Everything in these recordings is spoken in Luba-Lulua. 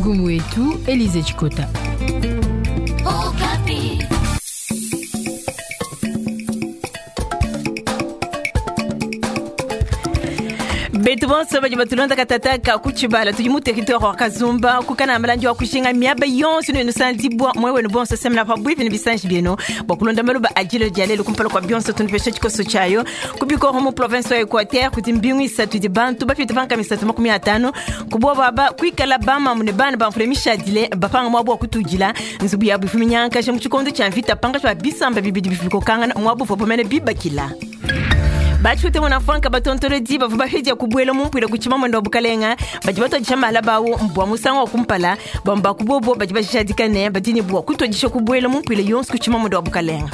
Ngumu yetu Elize Chikota. Betu bonso badi batulonda katataka ku tshibala tudi mu territoire wa Kazumba kukana malandi wa kushinga miaba yonso ne nusandibwa mwe wenu bonso semna pa bwivi ne bisanji bienu bua kulonda maluba ajilo dia lelo kumpala kwa bionso tunupesha tshikoso tshiayo kubikoro mu province wa Equateur kuti mbingu isatu di bantu bapita panka misatu 50 kuboba baba kwikala bamamu ne bana bamfule mishadile bapanga mwabo wa kutujila nzubu yabu ifuminyankaje mu tshikondo tshia mvita panga tshia bisamba bibidi bifikokangana mwabo vopomene bibakila. Bachute mwana batontolodi bavua bafidya kubuela mumpwila kuchima mwendo wa bukalenga badi batwadisha mala bawo mbwa musango wa kumpala bamba kubobo badi bashadikane badini bwa kutwadisha kubuela mumpwila yonso kuchima mwendo wa bukalenga.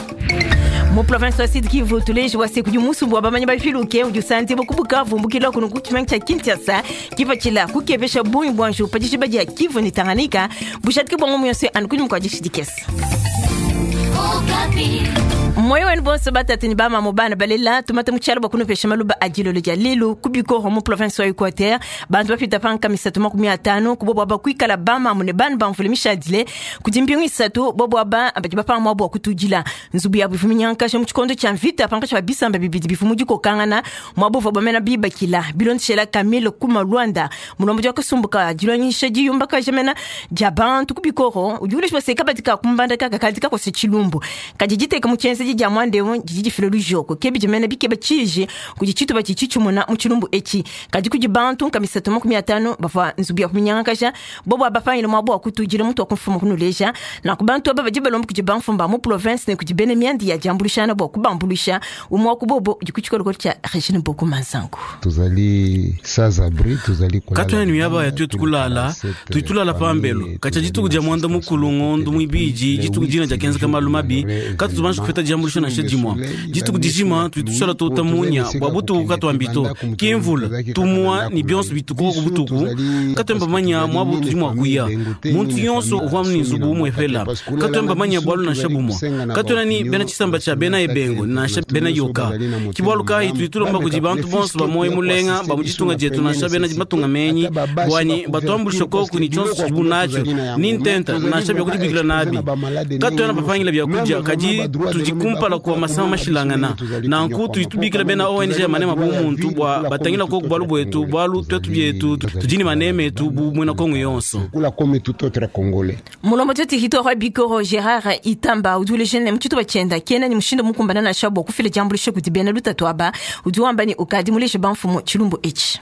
Mu province wa Sud Kivu tuleji wa seku musumbu wa bamanyi bafiluke udi usanzi bokubuka vumbukila kuno kuchima cha Kinshasa kipachila kukepesha bungi bwanju padisha badi ya Kivu ni Tanganyika bushatike bwango muyonse anukuni mkwajishidikesa. Moyo wenu bonso batatu ni bama mubana balela tumata muchalo bakunopesha maluba ajilolo dia lelo kubikoro mu province wa Equateur bantu bapita panka misatu 50 kubobo abakwikala bama mune bana bamvule mishadile kuti mbingu isatu bobo aba badi bapanga mwabo wa kutujila nzubu yabu ifuminyankasha mu tshikondo tshia mvita panka tshia bisamba bibidi bifu dikokangana mwabo vua bamena bibakila bilondeshela Camille Kuma Luanda mulombo dia kasumbuka dilonyisha diyumba kajamena dia bantu kubikoro udi ulesha baseka badika kumbanda kaka kadi kakose tshilumbu kadi diteka mu tshienze dia mwande wo didi filo lujoko kebi jemene bikeba chiji kudi chitu bachi chichumuna mu tshilumbu echi kadi kudi bantu nkamisatu 50 bava nzubu ya kuminyangasha bobo abafanyile mwabo wa kutujila mutu wa kumfuma kunuleja na kubantu aba badi balomba kudi bamfumba mu province ne kudi bene myandi ya jambulishana bwa kubambulisha umwe wa kubobo udi kuchikolokolo cha Regine Boko Manzangu. Tozali sans abri, tozali kulala katwene miyaba ya twetu kulala tuitulala pambelo kacha dituku dia mwanda mukulu ngondo mwibiji dituku dina dia kenza kamalu mabi katu tubanji kupeta diambulisho nansha dimua dituku dijima tuitushala tota munya bua butuku katuambito kimvula tumua ni bionso bitukoko butuku katuemba manya mwa butu dimua kuya muntu yonso uvua ni nzubu umwe fela katuemba manya bwalu nansha bumua katuena ni bena tshisamba tshia bena ebengo nansha bena yoka kibwalu kayi tuitulomba kudi bantu bonso bamoyi mulenga ba muditunga dietu nansha bena matunga menyi bwani batuambulisha koku ni tshionso tshidibu natshio ni ntenta nansha byakudibikila nabi katuena bapangila byakudia kadi tudikumpala kuwa masama mashilangana nanku tuitubikila bena ONG ya manema bu muntu bwa batangila koku bwalu bwetu bwalu twetu byetu tudini maneme etu bu mwena Kongo yonso. Kula comme tout autre Congolais. Mulombo toti hito wa bikoro Gerard Itamba udule jene mtutu bachenda kena ni mushindo mukumbana na shabo kufile jambulisho kuti bena lutatu aba uduwamba ni ukadi muleshe bamfumo chilumbu echi.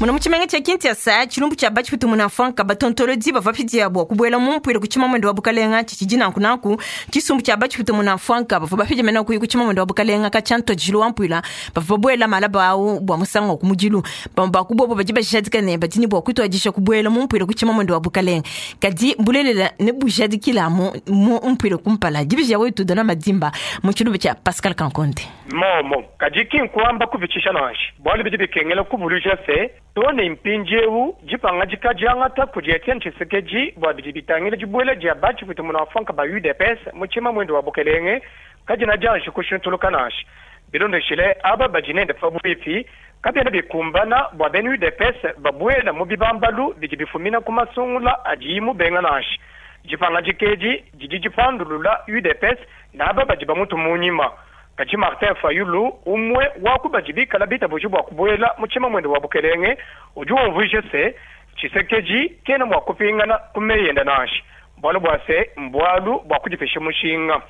Muna muchimenga cha Kinshasa chilumbu cha bachiputu munafanka batontolodi bava pidia bwa kubuela mumpwile kuchima mwendo wa bukalenga chichijina nkunaku chisumbu cha bachiputu munafanka bava bapija mena kuyi kuchima mwendo wa bukalenga kachanto jilu wampwila bava buela malaba au bwa musango kumujilu bamba kubobo bajiba shadika ne batini bwa kutwajisha kubuela mumpwile kuchima mwendo wa bukalenga kadi bulelela ne bujadikila mu mumpwile kumpala dibija wetu dona madimba mu chilumbu cha Pascal Kankonde. Momo kadi kinkwamba kubicisha nanshi bwalu bidi bikengela kubulusha se tone impinjewu jipanga jikajangata kudi Etienne Tshisekedi bwa bidi bitangila jibuela dia bachiputu munafanka ba UDPS muchima mwendo wa bukelenge kajina janshi kushintuluka nanshi bilondeshile aba bajinende fabuifi kabyena bikumbana bwa bena UDPS babuela mu bibambalu bidi bifumina ku masungula adi mubenga nanshi jipanga jikeji didi jipandulula UDPS naba badi bamutu munyima. Kadi Martin Fayulu umwe wakubajibika bita buji bwa kubuela muchima mwendo wa bukelenge udi wumvuje se Tshisekedi kena mwa kupingana kumeyenda nanshi bwalu bwa se mbwalu bwa kudipesha mushinga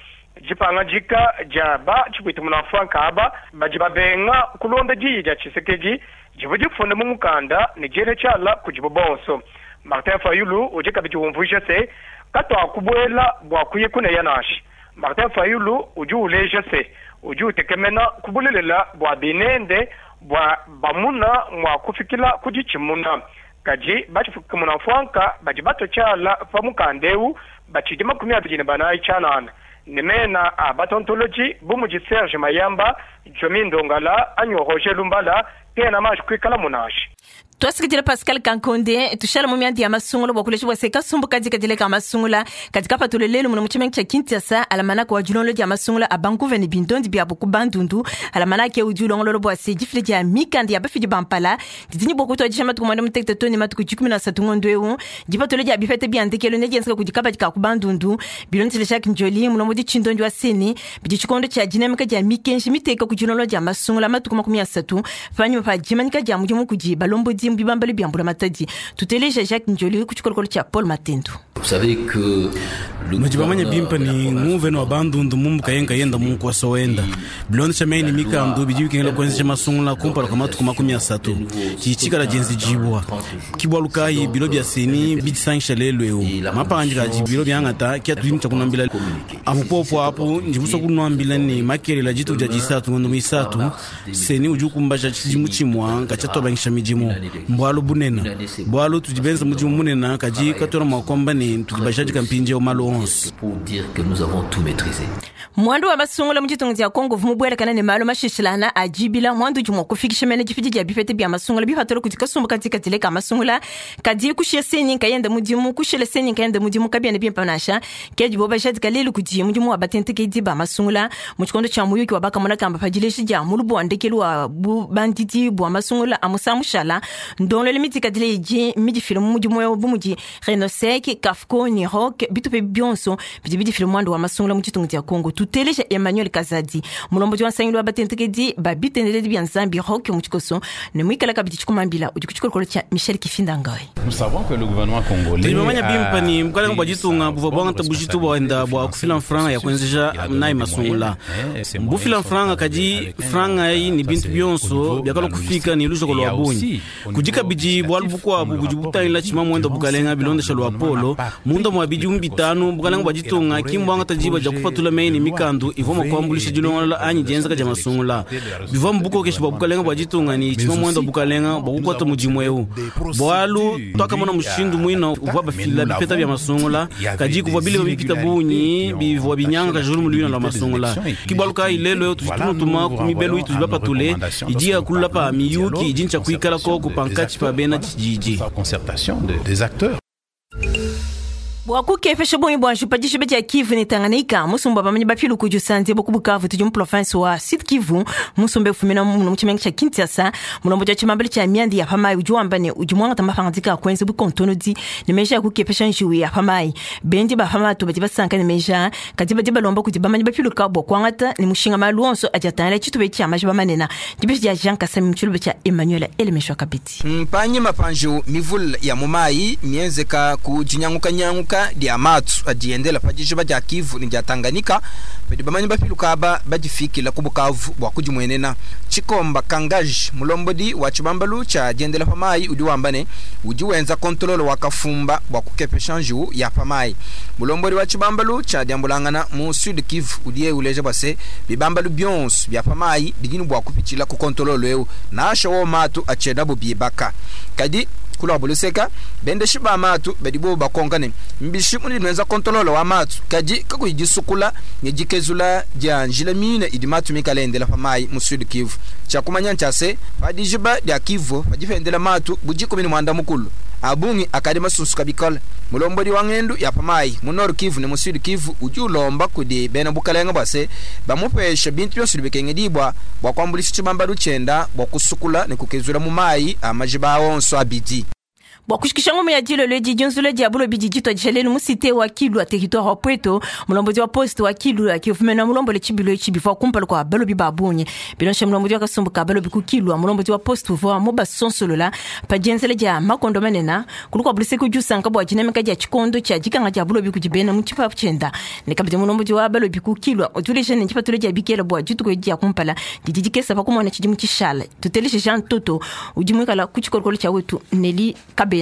jipanga jika jaba chipwitu munafanka aba baji babenga kulonda diyi dia Tshisekedi jibu jifunda mu mukanda ne jele tshala kujibu bonso. Martin Fayulu udi kabidi wumvuje se katwa kubuela bwa kuye kuneya nanshi. Martin Fayulu udi uleja se udi utekemena kubulelela bwa binende bwa bamuna mwa kufikila kudichimuna kadi bachifuka munafanka badi batochala pa mukandeu bachidi 24 chanana nemena a batontoloji bumuji Serge Mayamba Jomi Ndongala anyo Roger Lumbala Kena manji kuikalamu nansha. Twasikidila Pascal Kankonde, tushala mu mianda ya masungula bua kulesha bua se kasumbu kadikadile ka masungula kadi kapatule lelu muno mu tshimenga tshia Kinshasa alamanaka wa dilongolo dia masungula a bankuve ne bindondi biabu ku Bandundu. Alamanaka eu udi ulongolola bua se difila dia mikanda ya bafidi ba mpala didi ne bua kutuadija matuku muanda mutekete too ne matuku 13 ngondo eu. Dipatula dia bipeta bia ndekelu nedienzeka kudi kabadi ka ku Bandundu. Bilondeshile Jacques Njoli, mulombodi tshindondi wa CENI, bidi tshikondo tshia dinamika dia mikenji miteka ku dilongolola dia masungula matuku 30 panyima pa dimanyika dia mudimu kudi balombodi mu bibambalu bia mbulamatadi. Tuteleja Jacques Njoli ku tshikolokolo tshia Paul Matendo. Vous savez que le Nudi bamanye gouverneur bimpe de la ne province nguvene wa Bandundu mumbuka yenka yenda mu nkuasa wenda. Bilondesha meyi ne mikandu bidi bikengela kuenzesha masungula kumpala kua matuku 30. Tshitshikala dienze dibua. Ki bualu kayi bilo bia CENI bidisangisha lelu eu. Mapangadika adi bilo biangata ki atudi tshia kunuambila. Amu popo apu ndi musue kunuambila ne makelela dituku dia disatu ngondo muisatu CENI udi ukumbaja tshidimu tshimue katshia tuabangisha midimu. Mbualu bunene. Bualu tudi benza mudimu munene kadi katuena mua kuamba ne tudi bajadika mpindieu malu onso. Pour dire que nous avons tout maîtrisé. Mwandu wa masungula mu ditunga dia Congo uvua mubuelakana ne malu mashishilana a dibila. Mwandu udi mua kufikisha mene difidi dia bipeta bia masungula bipatula kudi kasumbu kadikadile ka masungula kadi kushiya CENI nkayenda mudimu, kushila CENI nkayenda mudimu kabiena bimpe nansha. Ke dibo bajadika lelu kudi mudimu wa batentekedi ba masungula mu tshikondo tshia muyuki wa bakamona kamba pa dileji dia mulubu wa ndekelu wa bubandidi bua masungula a musangu mushala. Ndongoluelu midikadile idi midifile mu mudimu eu bu mudi Renosec, Cafco, Niroc, bitupe bionso bidi bidifile muandu wa masungula mu ditunga dia Congo. Tuteleja Emmanuel Kazadi, mulombodi wa nsangilu wa batentekedi ba bitendeledi bia Nzambi Rock mu tshikoso ne muikala kabidi tshikumambila udi ku tshikolokolo tshia Michel Kifinda Ngoy. Nous savons que le gouvernement congolais Tudi bamanye bimpe ne a bukalenga bua pris ditunga sa buvua bonne buangata bujitu buenda bua kufila mfranga ya kuenzeja Il a donné nayi des masungula. moyens, hein, et ces moyens Mbufila sont mfranga arrivés kadi avec un franga eyi ne ça, bintu c'est au bionso niveau de biakalua la kufika logistique. ne lujoko Et il y lua a bungi. aussi, au Kudi niveau kabidi bualu législatif, bukuabu comme le budi rapport butangila le dit, tshima muenda durant bukalenga sept ans, bilondesha le lua gouvernement polo. n'a pas Munda pris mua de bidimu bitanu bukalenga bua ditunga ki mbuangata diba dia kupatula meyi ne mikandu ivua mua kuambuluisha dilongolola anyi dienzeka dia masungula. Bivua mu bukokeshi bua bukalenga bua ditunga ne tshima muenda bukalenga bua kukuata mudimu eu. Bualu tuakamona mushindu muina uvua bafila bipeta bia masungula kadi kuvua bilema bipita bungi bivua binyanga kajulu luina lua masungula. Ki bualu kayi lelu eu tudi tunutuma ku mibelu itudi bapatule idi ya kulula pa miyuki idi ntshia kuikala koku pankatshi pa bena tshididi. Concertation des acteurs. Bua kukepesha bungi bua njupa dishiba dia Kivu ne Tanganyika, musumba bamanyi bapilu kudi usanze ku Bukavu tudi mu province wa Sud Kivu. Musumba ufumina muno mu tshimenga tshia Kinshasa. Mulombodi wa tshimambelu tshia mianda ya pamayi udi wamba ne udi muangata mapangadika a kuenza bukontonodi ne meji a kukepesha njiwu ya pamayi. Bendi ba pamatu badi basanka ne meji aa, kadi badi balomba kudi bamanyi bapiluka bua kuangata ne mushinga malu onso adi atangila tshitupa tshia majiba manene. Dibeji dia Jean Kasami mu tshiluba tshia Emmanuel Elemeshwa Kabidi. Mpanyima pa njiwu mivule ya mu mayi mienzeka ku dinyangukanyanguka dia matu adiendela pa dijiba dia Kivu ne dia Tanganyika, badi bamanyi bapiluka aba badifikila ku Bukavu bua kudimuenena. Tshikomba Kangaji, mulombodi wa tshibambalu tshia diendela pa mayi, udi wamba ne udi wenza kontololo wa kafumba bua kukepesha njiwu ya pa mayi. Mulombodi wa tshibambalu tshia diambulangana mu Sud Kivu udiye uleja bua se bibambalu bionso bia pa mayi bidi ne bua kupitshila ku kontololo eu nansha wo matu atshiena bubibaka. Kadi kulwa buluseka bendeshi ba matu badi bo bakonka ne mbishi mudi nwenza kontololo wa matu kadi kakuyi disukula ne dikezula dia njila mine idi matu mikale endela pa mayi mu Sud Kivu. Tshia kumanya ntshia se pa dijiba dia Kivu padi pendela matu budi 13 abungi akadi masunsuka bikole. Mulombodi wa ngendu ya pa mayi mu Nord Kivu ne mu Sud Kivu udi ulomba kudi bena bukalenga bua se bamupesha bintu bionso bikengedibwa bua kuambulisha tshibambalu tshienda bua kusukula ne kukezula mu mayi a majiba onso abidi. Bua kushikisha ngoma ya dilolo edi dionzula dia bulobi didi tuadisha lelu mu cité wa Kilwa, territoire wa Pweto. Mulombodi wa poste wa Kilwa kifumena mulombole tshibilo etshi bivua kumpala kua balobi ba bungi. Bilonsha mulombodi wa kasumbu ka balobi ku Kilwa, mulombodi wa poste uvua mubasonsolola pa dienzela dia makondo manene kulu kua buluseke udi usanka bua dinamika dia tshikondo tshia dikanga dia bulobi kudi bena mu tshipapu tshienda. Ne kabidi mulombodi wa balobi ku Kilwa utuleja ne tshipatula dia bikela bua dituku edi dia kumpala didi dikesa pa kumona tshidimu tshishala. Tuteleshe Jean Toto udi muikala ku tshikolokolo tshia wetu Nelly Kabena.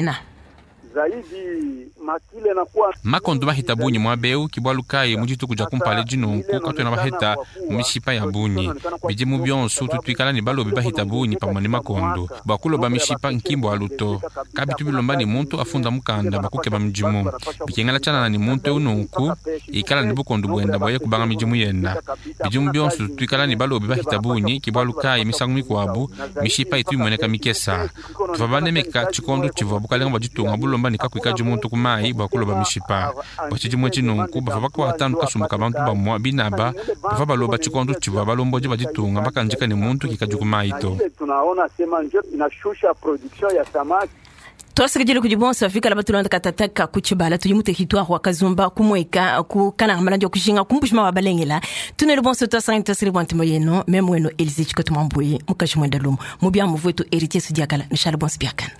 Zaidi makile na kuwa Makondo bahita bunyi muaba eu ke bualu kayi mu dituku dia kumpala edi nunku katuena baheta mu mishipa ya bunyi. Bidimu bionso tutu tuikala ne balobi bahita bunyi pamue ne makondo. Bua kuloba mishipa nki mbualu to. Kabitu bilomba ne muntu afunda mukanda bua kukeba midimu. Bikengela tshianana ne muntu eu nunku ikala ne bukondo buenda bua ye kubanga midimu yenda. Bidimu bionso tutu tuikala ne balobi bahita bunyi ke bualu kayi misangu mikuabu mishipa itu imueneka mikesa. Tuvua banemeka tshikondo tshivua bukalenga bua ditunga bulomba ne kakuikadi muntu ku mayi bua kuloba mishipa. Bua tshidimu etshi nunku bavua bakuata anu kasumbu ka bantu bamua binaba bavua baloba tshikondo tshivua balombodi ba ditunga bakandika ne muntu kikadi ku mayi to. ile tunaona sema njo inashusha production ya samaki. Twasakidila kudi bonso bafikala batulonda katataka ku tshibala tudi mu territoire wa Kazumba ku Mweka ku Kananga Malandi wa kujinga ku Mbuji-Mayi wa Balengela. Tunelu bonso twasangani twasili bua ntema yenu meme wenu Elise Tshikoto Mwambuyi mukaji mwenda lumu mu biamu vuetu Héritier Sudiakala nushala bonso biakana.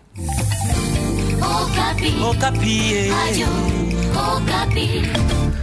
Okapi. Okapi. Radio Okapi.